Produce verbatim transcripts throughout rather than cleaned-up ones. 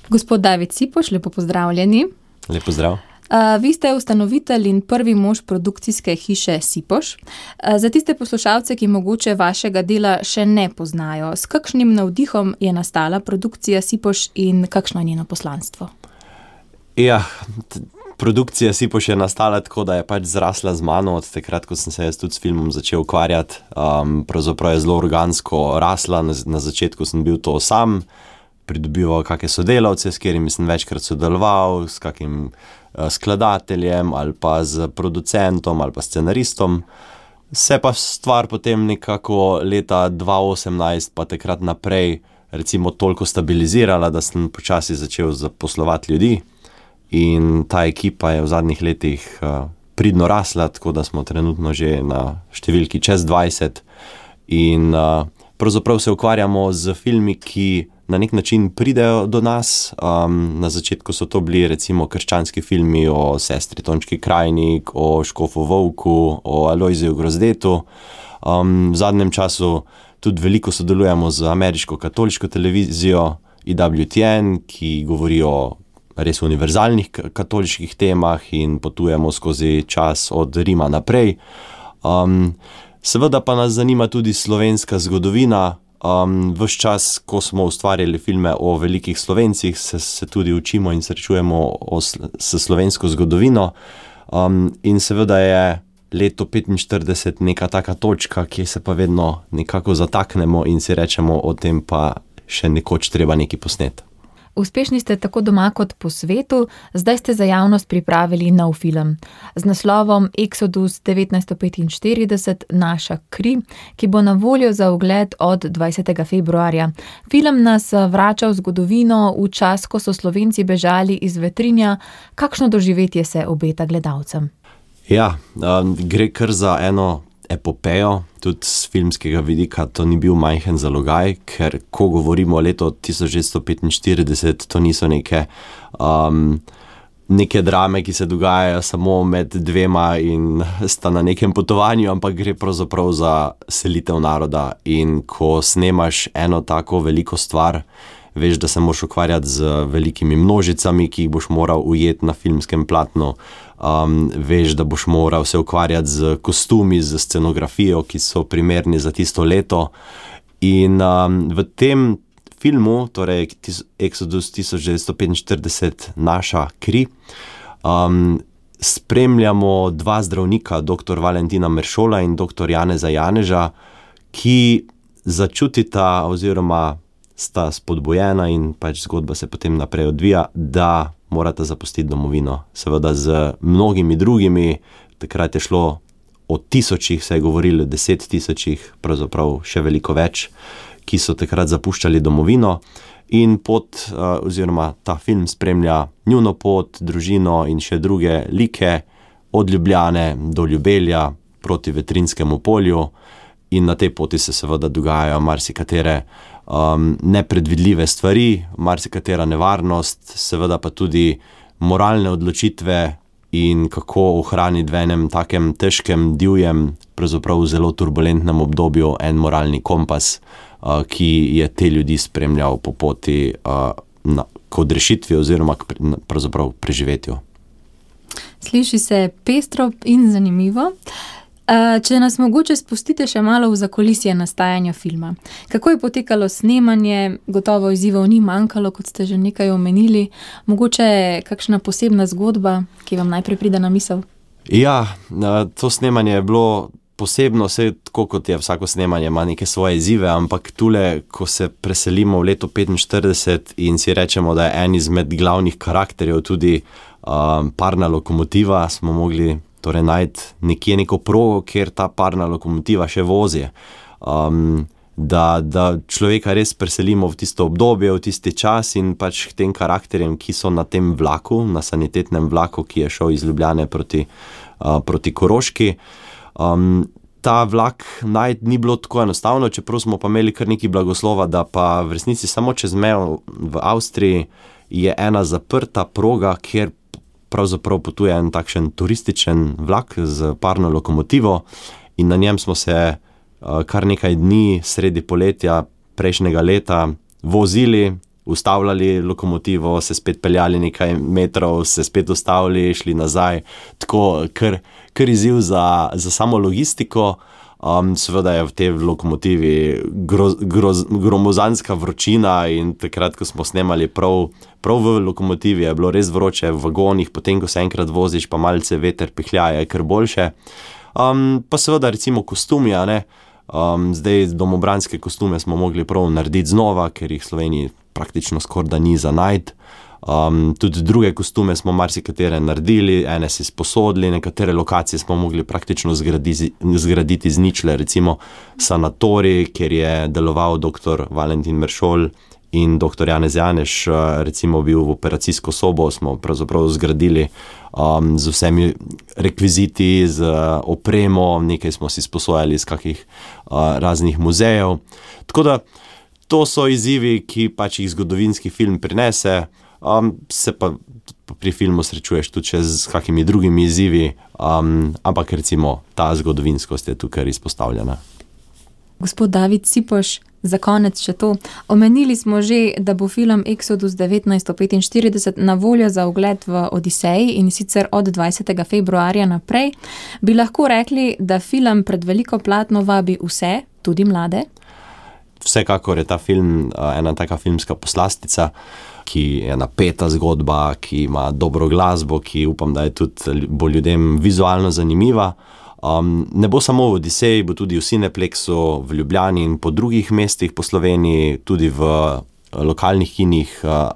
Gospod David Sipoš, lepo pozdravljeni. Lep pozdrav. Uh, vi ste ustanovitelj in prvi mož produkcijske hiše Sipoš. Uh, za tiste poslušalce, ki mogoče vašega dela še ne poznajo, s kakšnim navdihom je nastala produkcija Sipoš in kakšno je njeno poslanstvo? Ja, t- produkcija Sipoš je nastala tako, da je pač zrasla z mano od takrat, ko sem se jaz tudi s filmom začel ukvarjati. Um, pravzaprav je zelo organsko rasla, na, na začetku sem bil to sam, pridobival kakšne sodelavce, s katerimi sem večkrat sodeloval, s kakim skladateljem ali pa z producentom ali pa scenaristom. Se pa stvar potem nekako leta dva osemnajst pa takrat naprej recimo toliko stabilizirala, da sem počasi začel zaposlovati ljudi in ta ekipa je v zadnjih letih uh, pridno rasla, tako da smo trenutno že na številki čez dvajset in uh, pravzaprav se ukvarjamo z filmi, ki na nek način pridejo do nas. Um, na začetku so to bili recimo krščanski filmi o sestri Tončki Krajnik, o Škofu Volku, o Alojziju Grozdetu. Um, v zadnjem času tudi veliko sodelujemo z ameriško katoliško televizijo E W T N, ki govori o res univerzalnih katoliških temah in potujemo skozi čas od Rima naprej. Um, seveda pa nas zanima tudi slovenska zgodovina. Um, ves čas, ko smo ustvarjali filme o velikih Slovencih, se, se tudi učimo in srečujemo o, s slovensko zgodovino. Um, in seveda je leto petinštirideset neka taka točka, kjer se pa vedno nekako zataknemo in si rečemo, o tem pa še nekoč treba nekaj posneti. Uspešni ste tako doma kot po svetu, zdaj ste za javnost pripravili nov film z naslovom Exodus devetnajststo petinštirideset Naša kri, ki bo na voljo za ogled od dvajsetega februarja. Film nas vrača v zgodovino, v čas, ko so Slovenci bežali iz Vetrinja. Kakšno doživetje se obeta gledalcem? Ja, um, gre kar za eno epopejo, tudi z filmskega vidika to ni bil majhen zalogaj, ker ko govorimo o letu tisoč devetsto petinštirideset, to niso neke, um, neke drame, ki se dogajajo samo med dvema in sta na nekem potovanju, ampak gre pravzaprav za selitev naroda. In ko snemaš eno tako veliko stvar, veš, da se moraš ukvarjati z velikimi množicami, ki jih boš moral ujeti na filmskem platnu. Um, veš, da boš moral se ukvarjati z kostumi, z scenografijo, ki so primerni za tisto leto. In um, v tem filmu, torej Exodus tisoč devetsto petinštirideset Naša kri, um, spremljamo dva zdravnika, doktor Valentina Meršola in doktor Janeza Janeža, ki začutita oziroma sta spodbojena in pač zgodba se potem naprej odvija, da morata zapustiti domovino. Seveda z mnogimi drugimi, takrat je šlo o tisočih, se je govorilo deset tisočih, pravzaprav še veliko več, ki so takrat zapuščali domovino in pot, oziroma ta film spremlja njuno pot, družino in še druge like od Ljubljane do Ljubelja proti Vetrinskemu polju in na tej poti se seveda dogajajo marsikatere Um, nepredvidljive stvari, marsikatera nevarnost, seveda pa tudi moralne odločitve in kako ohraniti v enem takem težkem, divjem, pravzaprav zelo turbulentnem obdobju en moralni kompas, uh, ki je te ljudi spremljal po poti uh, na, k odrešitvi oziroma k pravzaprav preživetju. Sliši se pestro in zanimivo. Če nas mogoče spustite še malo v zakulisje nastajanja filma. Kako je potekalo snemanje? Gotovo izzivov ni manjkalo, kot ste že nekaj omenili. Mogoče kakšna posebna zgodba, ki vam najprej pride na misel? Ja, to snemanje je bilo posebno, vse tako kot je vsako snemanje, ima neke svoje izzive, ampak tule, ko se preselimo v leto petinštirideset in si rečemo, da je en izmed glavnih karakterjev tudi um, parna lokomotiva, smo mogli torej najti nekje neko progo, kjer ta parna lokomotiva še vozi. Um, da, da človeka res preselimo v tisto obdobje, v tisti čas in pač k tem karakterjem, ki so na tem vlaku, na sanitetnem vlaku, ki je šel iz Ljubljane proti, uh, proti Koroški. Um, ta vlak najti ni bilo tako enostavno, čeprav smo pa imeli kar nekaj blagoslova, da pa v resnici samo čez mejo v Avstriji je ena zaprta proga, kjer pravzaprav potuje en takšen turističen vlak z parno lokomotivo in na njem smo se uh, kar nekaj dni sredi poletja prejšnjega leta vozili ustavljali lokomotivo, se spet peljali nekaj metrov, se spet ustavili, šli nazaj. Tako, kar, kar izziv za, za samo logistiko. Um, seveda je v tej lokomotivi groz, groz, gromozanska vročina in takrat, ko smo snemali prav, prav v lokomotivi, je bilo res vroče v vagonih, potem, ko se enkrat voziš, pa malce veter pihljaje, kar boljše. Um, pa seveda recimo kostumi, a ne. Um, zdaj domobranske kostume smo mogli prav narediti znova, ker jih v Sloveniji praktično skoraj da ni za najti. Um, tudi druge kostume smo marsikatere naredili, ene si sposodili, nekatere lokacije smo mogli praktično zgraditi, zgraditi z ničle, recimo sanatorij, kjer je deloval doktor Valentin Meršol in doktor Janez Janeš, recimo bil v operacijsko sobo, smo pravzaprav zgradili um, z vsemi rekviziti, z opremo, nekaj smo si sposojali iz kakih uh, raznih muzejev. Tako da to so izzivi, ki pač jih zgodovinski film prinese. Um, se pa pri filmu srečuješ tudi še z kakimi drugimi izzivi, um, ampak recimo ta zgodovinskost je tukaj izpostavljena. Gospod David Cipoš, za konec še to. Omenili smo že, da bo film Exodus devetnajststo petinštirideset na voljo za ogled v Odiseji in sicer od dvajsetega februarja naprej. Bi lahko rekli, da film pred veliko platno vabi vse, tudi mlade? Vsekakor je ta film ena taka filmska poslastica, ki je napeta zgodba, ki ima dobro glasbo, ki upam, da je tudi bo ljudem vizualno zanimiva. Um, ne bo samo v Odiseji, bo tudi v Cineplexu, v Ljubljani in po drugih mestih po Sloveniji, tudi v lokalnih kinih uh,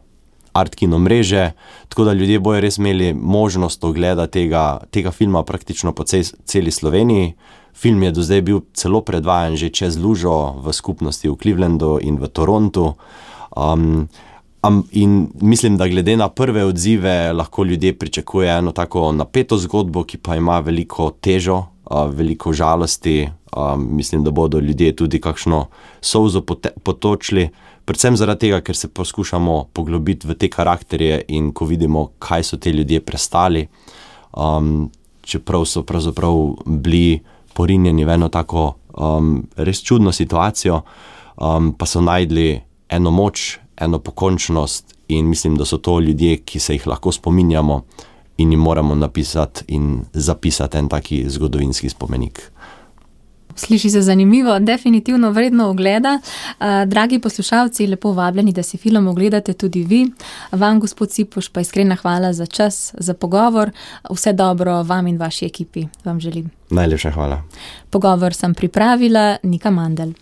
Art Kino mreže, tako da ljudje bojo res imeli možnost ogleda tega, tega filma praktično po cel, celi Sloveniji. Film je do zdaj bil celo predvajan že čez lužo v skupnosti v Clevelandu in v Torontu. Um, um, in mislim, da glede na prve odzive lahko ljudje pričakuje eno tako napeto zgodbo, ki pa ima veliko težo, uh, veliko žalosti. Um, mislim, da bodo ljudje tudi kakšno solzo pote- potočili. Predvsem zaradi tega, ker se poskušamo poglobiti v te karakterje in ko vidimo, kaj so te ljudje prestali, um, čeprav so pravzaprav bili porinjeni v eno tako um, res čudno situacijo, um, pa so najdli eno moč, eno pokončnost in mislim, da so to ljudje, ki se jih lahko spominjamo in jim moramo napisati in zapisati en taki zgodovinski spomenik. Sliši se zanimivo, definitivno vredno ogleda. Dragi poslušalci, lepo vabljeni, da si film ogledate tudi vi. Vam, gospod Cipoš, pa iskrena hvala za čas, za pogovor. Vse dobro vam in vaši ekipi vam želim. Najlepša hvala. Pogovor sem pripravila Nika Mandl.